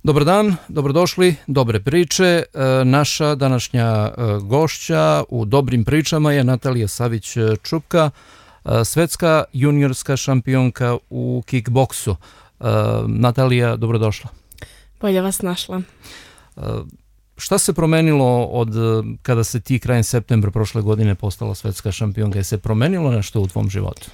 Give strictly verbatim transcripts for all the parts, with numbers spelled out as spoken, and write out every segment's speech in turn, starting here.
Dobar dan, dobrodošli, dobre priče. Naša današnja gošća u dobrim pričama je Natalija Savić-Čupka, svetska juniorska šampionka u kickboksu. Natalija, dobrodošla. Bolje vas našla. Šta se promenilo od kada se ti krajem septembra prošle godine postala svetska šampionka? Je se promenilo nešto u tvom životu?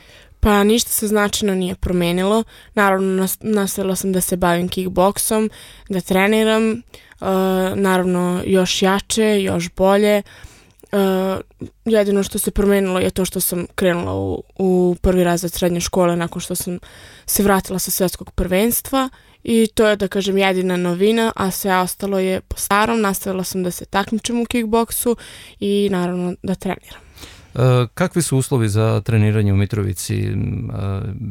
Pa ništa se značajno nije promenilo. Naravno, nastavila sam da se bavim kickboksom, da treniram, uh, naravno još jače, još bolje. Uh, jedino što se promenilo je to što sam krenula u, u prvi razred srednje škole nakon što sam se vratila sa svetskog prvenstva i to je, da kažem, jedina novina, a sve ostalo je po starom. Nastavila sam da se takmičim u kickboksu i naravno da treniram. Kakvi su uslovi za treniranje u Mitrovici?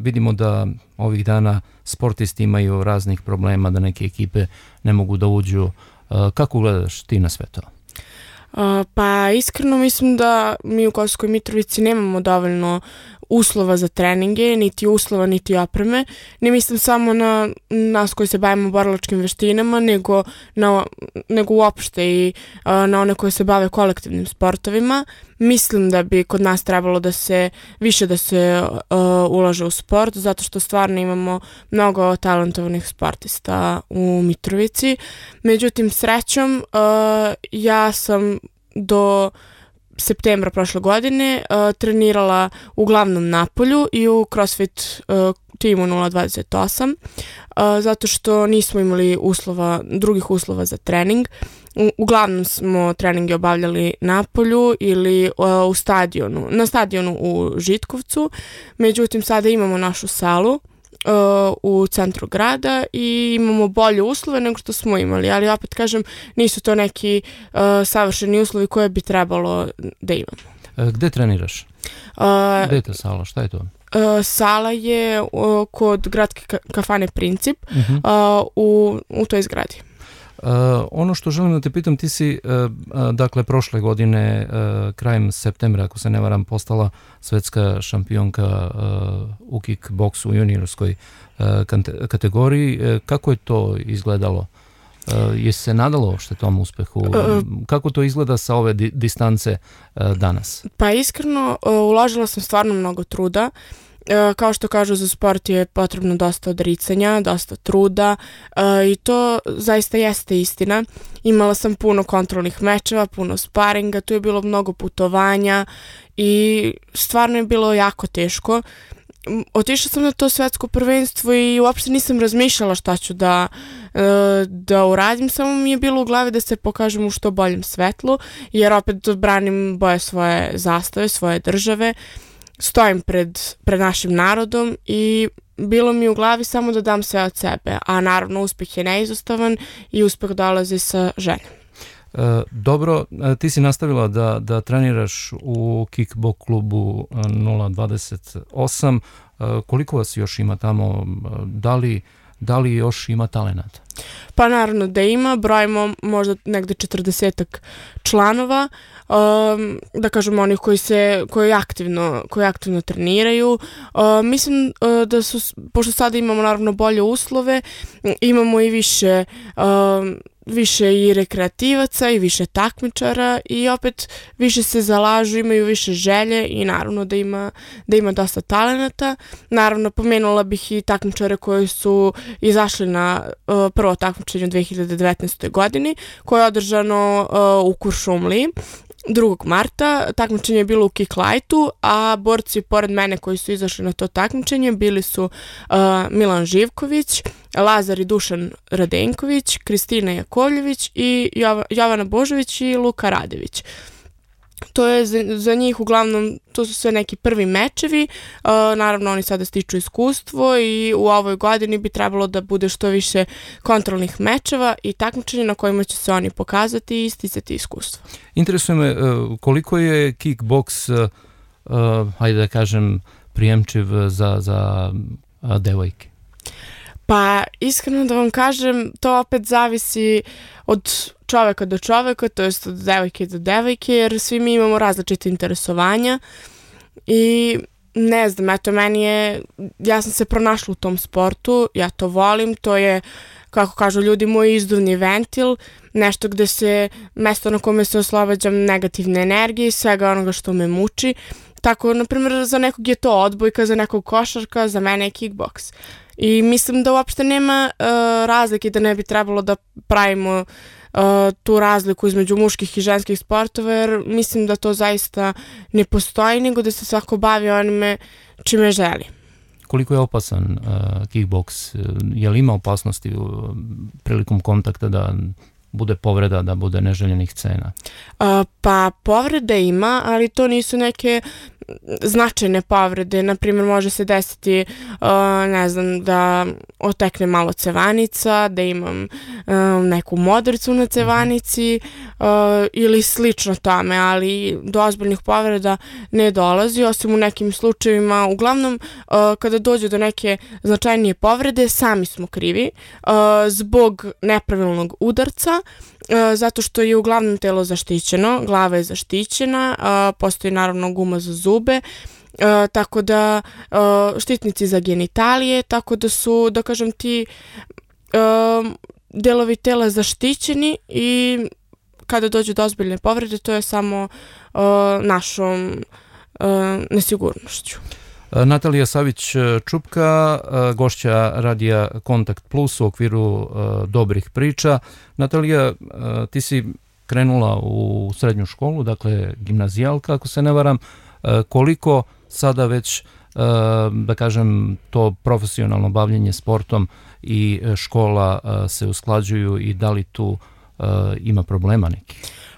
Vidimo da ovih dana sportisti imaju raznih problema, da neke ekipe ne mogu da uđu. Kako gledaš ti na sve to? Pa iskreno mislim da mi u Kosovskoj Mitrovici nemamo dovoljno uslova za treninge, niti uslova, niti opreme. Ne mislim samo na nas koji se bavimo borilačkim veštinama, nego, na, nego uopšte i a, na one koji se bave kolektivnim sportovima. Mislim da bi kod nas trebalo da se više da se uh, ulaže u sport, zato što stvarno imamo mnogo talentovanih sportista u Mitrovici. Međutim, srećom, uh, ja sam do septembra prošle godine uh, trenirala uglavnom na polju i u CrossFit uh, timu nula dvadeset osam, uh, zato što nismo imali uslova, drugih uslova za trening. U, uglavnom smo treninge obavljali na polju ili uh, u stadionu, na stadionu u Žitkovcu. Međutim, sada imamo našu salu uh, u centru grada i imamo bolje uslove nego što smo imali, ali opet kažem, nisu to neki uh, savršeni uslovi koje bi trebalo da imamo. Gde treniraš? Uh, Gde je ta sala? Šta je to? Uh, sala je uh, kod gradske ka- kafane Princip, uh-huh. uh, u, u toj zgradi. Uh, ono što želim da te pitam, ti si uh, uh, dakle prošle godine uh, krajem septembra, ako se ne varam, postala svetska šampionka uh, u kickboksu u juniorskoj uh, kante- kategoriji. Uh, kako je to izgledalo? Uh, je se nadalo uopšte tom uspehu? Uh, kako to izgleda sa ove di- distance uh, danas? Pa iskreno, uh, uložila sam stvarno mnogo truda. Uh, kao što kažu, za sport je potrebno dosta odricanja, dosta truda uh, i to zaista jeste istina. Imala sam puno kontrolnih mečeva, puno sparinga, tu je bilo mnogo putovanja i stvarno je bilo jako teško. Otišla sam na to svetsko prvenstvo i uopšte nisam razmišljala šta ću da, uh, da uradim, samo mi je bilo u glavi da se pokažem u što boljem svetlu, jer opet branim boje svoje zastave, svoje države. Stojim pred, pred našim narodom i bilo mi u glavi samo da dam sve od sebe, a naravno uspeh je neizostavan i uspeh dolazi sa željom. E, dobro, ti si nastavila da, da treniraš u kickboks klubu nula dvadeset osam. E, koliko vas još ima tamo? Da li, da li još ima talenata? Pa naravno da ima, brojimo možda negde četrdesetak članova, um, da kažemo onih koji se koji aktivno, koji aktivno treniraju. Uh, mislim uh, da su, pošto sada imamo naravno bolje uslove, imamo i više um, više i rekreativaca i više takmičara i opet više se zalažu, imaju više želje i naravno da ima, da ima dosta talenata. Naravno pomenula bih i takmičare koji su izašli na uh, prvo takmičenje u dve hiljade devetnaestoj godini koje je održano uh, u Kuršumliji drugog marta. Takmičenje je bilo u kick lightu, a borci pored mene koji su izašli na to takmičenje bili su uh, Milan Živković, Lazar i Dušan Radenković, Kristina Jakovljević i Jova, Jovana Božović i Luka Radević. To je za, za njih uglavnom, to su sve neki prvi mečevi, uh, naravno oni sada stiču iskustvo i u ovoj godini bi trebalo da bude što više kontrolnih mečeva i takmičenja na kojima će se oni pokazati i sticati iskustvo. Interesuje me uh, koliko je kickboks, uh, uh, hajde da kažem, prijemčiv za, za uh, devojke? Pa iskreno da vam kažem, to opet zavisi od čoveka do čoveka, to jest od devojke do devojke, jer svi mi imamo različite interesovanja i ne znam, eto meni je, ja sam se pronašla u tom sportu, ja to volim, to je kako kažu ljudi, moj izduvni ventil, nešto gde se, mesto na kome se oslobađam negativne energije i svega onoga što me muči. Tako, na primjer, za nekog je to odbojka, za nekog košarka, za mene je kickboks. I mislim da uopšte nema uh, razlike, da ne bi trebalo da pravimo uh, tu razliku između muških i ženskih sportova, jer mislim da to zaista ne postoji, nego da se svako bavi onime čime želi. Koliko je opasan uh, kickboks? Je li ima opasnosti uh, prilikom kontakta da bude povreda, da bude neželjenih scena? Uh, pa povrede ima, ali to nisu neke značajne povrede. Naprimjer, može se desiti, uh, ne znam, da otekne malo cevanica, da imam uh, neku modricu na cevanici uh, ili slično tome, ali do ozbiljnih povreda ne dolazi, osim u nekim slučajevima. Uglavnom, uh, kada dođe do neke značajnije povrede, sami smo krivi uh, zbog nepravilnog udarca, uh, zato što je uglavnom telo zaštićeno, glava je zaštićena, uh, postoji naravno guma za zube, Uh, tako da uh, štitnici za genitalije, tako da su, da kažem ti, uh, delovi tela zaštićeni i kada dođe do ozbiljne povrede, to je samo uh, našom uh, nesigurnošću. Natalija Savić-Čupka, gošća radija Kontakt Plus u okviru Dobrih priča. Natalija, ti si krenula u srednju školu, dakle gimnazijalka, ako se ne varam. Koliko sada već, da kažem, to profesionalno bavljenje sportom i škola se usklađuju i da li tu ima problema neki?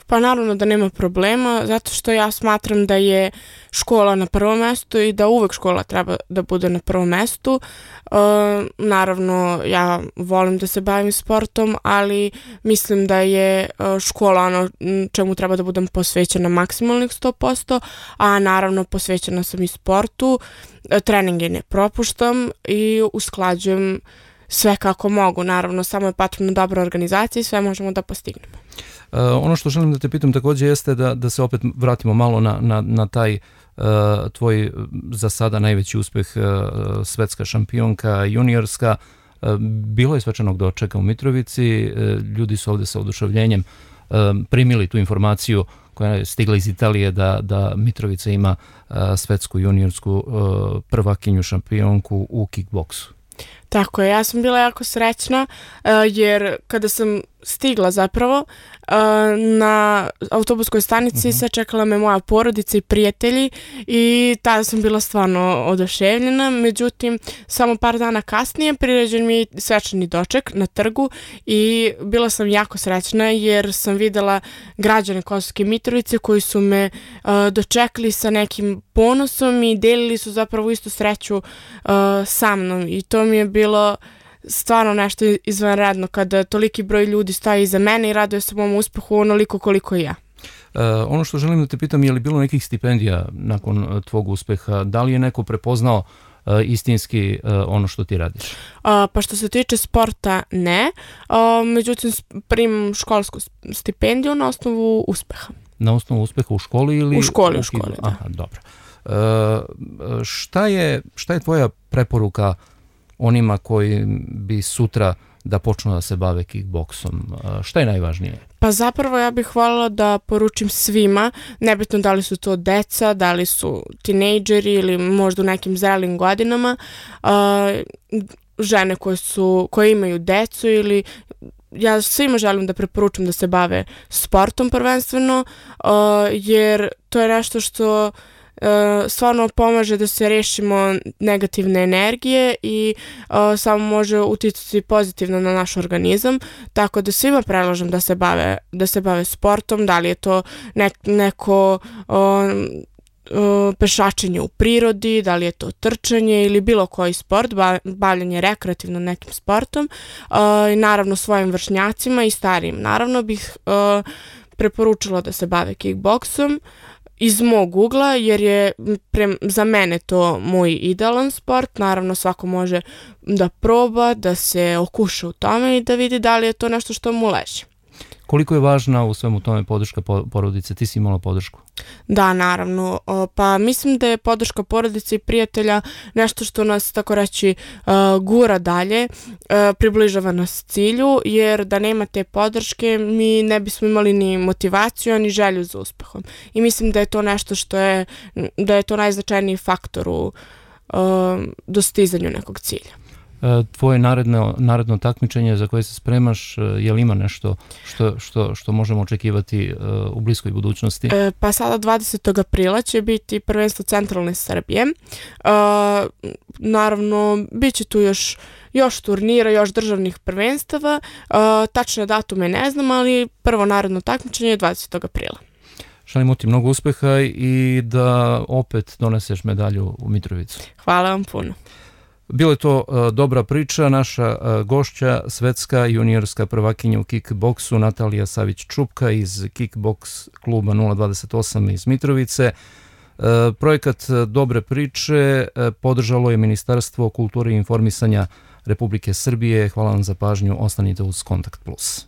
Pa naravno da nema problema, zato što ja smatram da je škola na prvom mestu i da uvek škola treba da bude na prvom mestu. E, naravno, ja volim da se bavim sportom, ali mislim da je škola ono čemu treba da budem posvećena maksimalnih sto posto, a naravno posvećena sam i sportu, treninge ne propuštam i usklađujem sve kako mogu. Naravno, samo je potrebna dobra organizacija i sve možemo da postignemo. Uh, ono što želim da te pitam također jeste da, da se opet vratimo malo na, na, na taj uh, tvoj za sada najveći uspeh, uh, svetska šampionka juniorska. Uh, bilo je svečanog dočeka u Mitrovici, uh, ljudi su ovdje sa oduševljenjem uh, primili tu informaciju koja je stigla iz Italije da, da Mitrovica ima uh, svetsku juniorsku uh, prvakinju šampionku u kickboksu. Tako je, ja sam bila jako srećna uh, jer kada sam stigla zapravo uh, na autobuskoj stanici uh-huh. sačekala me moja porodica i prijatelji i tada sam bila stvarno oduševljena. Međutim, samo par dana kasnije priređen mi je svečani doček na trgu i bila sam jako srećna jer sam videla građane Kosovske Mitrovice koji su me uh, dočekali sa nekim ponosom i delili su zapravo istu sreću uh, sa mnom i to mi je bilo stvarno nešto izvanredno kada toliki broj ljudi stoji iza mene i raduje se mom uspehu onoliko koliko i ja. Uh, ono što želim da te pitam, je li bilo nekih stipendija nakon uh, tvog uspeha? Da li je neko prepoznao uh, istinski uh, ono što ti radiš? Uh, pa što se tiče sporta, ne. Uh, međutim, primam školsku stipendiju na osnovu uspeha. Na osnovu uspeha u školi ili? U školi, u školi, da. Aha, dobro. Uh, šta je, šta je tvoja preporuka onima koji bi sutra da počnu da se bave kickboksom? Šta je najvažnije? Pa zapravo ja bih voljela da poručim svima, nebitno da li su to deca, da li su tinejdžeri ili možda u nekim zrelim godinama, uh, žene koje, su, koje imaju decu ili ja svima želim da preporučim da se bave sportom prvenstveno, uh, jer to je nešto što Uh, stvarno pomaže da se rešimo negativne energije i uh, samo može uticati pozitivno na naš organizam, tako da svima predlažem da se bave, da se bave sportom, da li je to ne, neko uh, uh, pešačenje u prirodi, da li je to trčanje ili bilo koji sport, bavljanje rekreativno nekim sportom uh, i naravno svojim vršnjacima i starijim. Naravno bih uh, preporučila da se bave kickboksom iz mog ugla, jer je pre, za mene to moj idealan sport. Naravno, svako može da proba, da se okuša u tome i da vidi da li je to nešto što mu leži. Koliko je važna u svemu tome podrška porodice? Ti si imala podršku? Da, naravno. Pa mislim da je podrška porodice i prijatelja nešto što nas, tako reći, gura dalje, približava nas cilju, jer da nema te podrške mi ne bismo imali ni motivaciju, ni želju za uspehom. I mislim da je to nešto što je, da je to najznačajniji faktor u dostizanju nekog cilja. Tvoje naredno, naredno takmičenje za koje se spremaš, je li ima nešto što, što, što možemo očekivati u bliskoj budućnosti? E, pa sada dvadesetog aprila će biti prvenstvo centralne Srbije. E, naravno, bit će tu još, još turnira, još državnih prvenstava. E, tačne datume ne znam, ali prvo naredno takmičenje je dvadesetog aprila. Želimo ti mnogo uspeha i da opet doneseš medalju u Mitrovicu. Hvala vam puno. Bilo je to uh, dobra priča, naša uh, gošća, svetska juniorska prvakinja u kickboksu Natalija Savić-Čupka iz kickboks kluba nula dvadeset osam iz Mitrovice. Uh, projekat Dobre priče uh, podržalo je Ministarstvo kulture i informisanja Republike Srbije. Hvala vam za pažnju, ostanite uz Kontakt plus.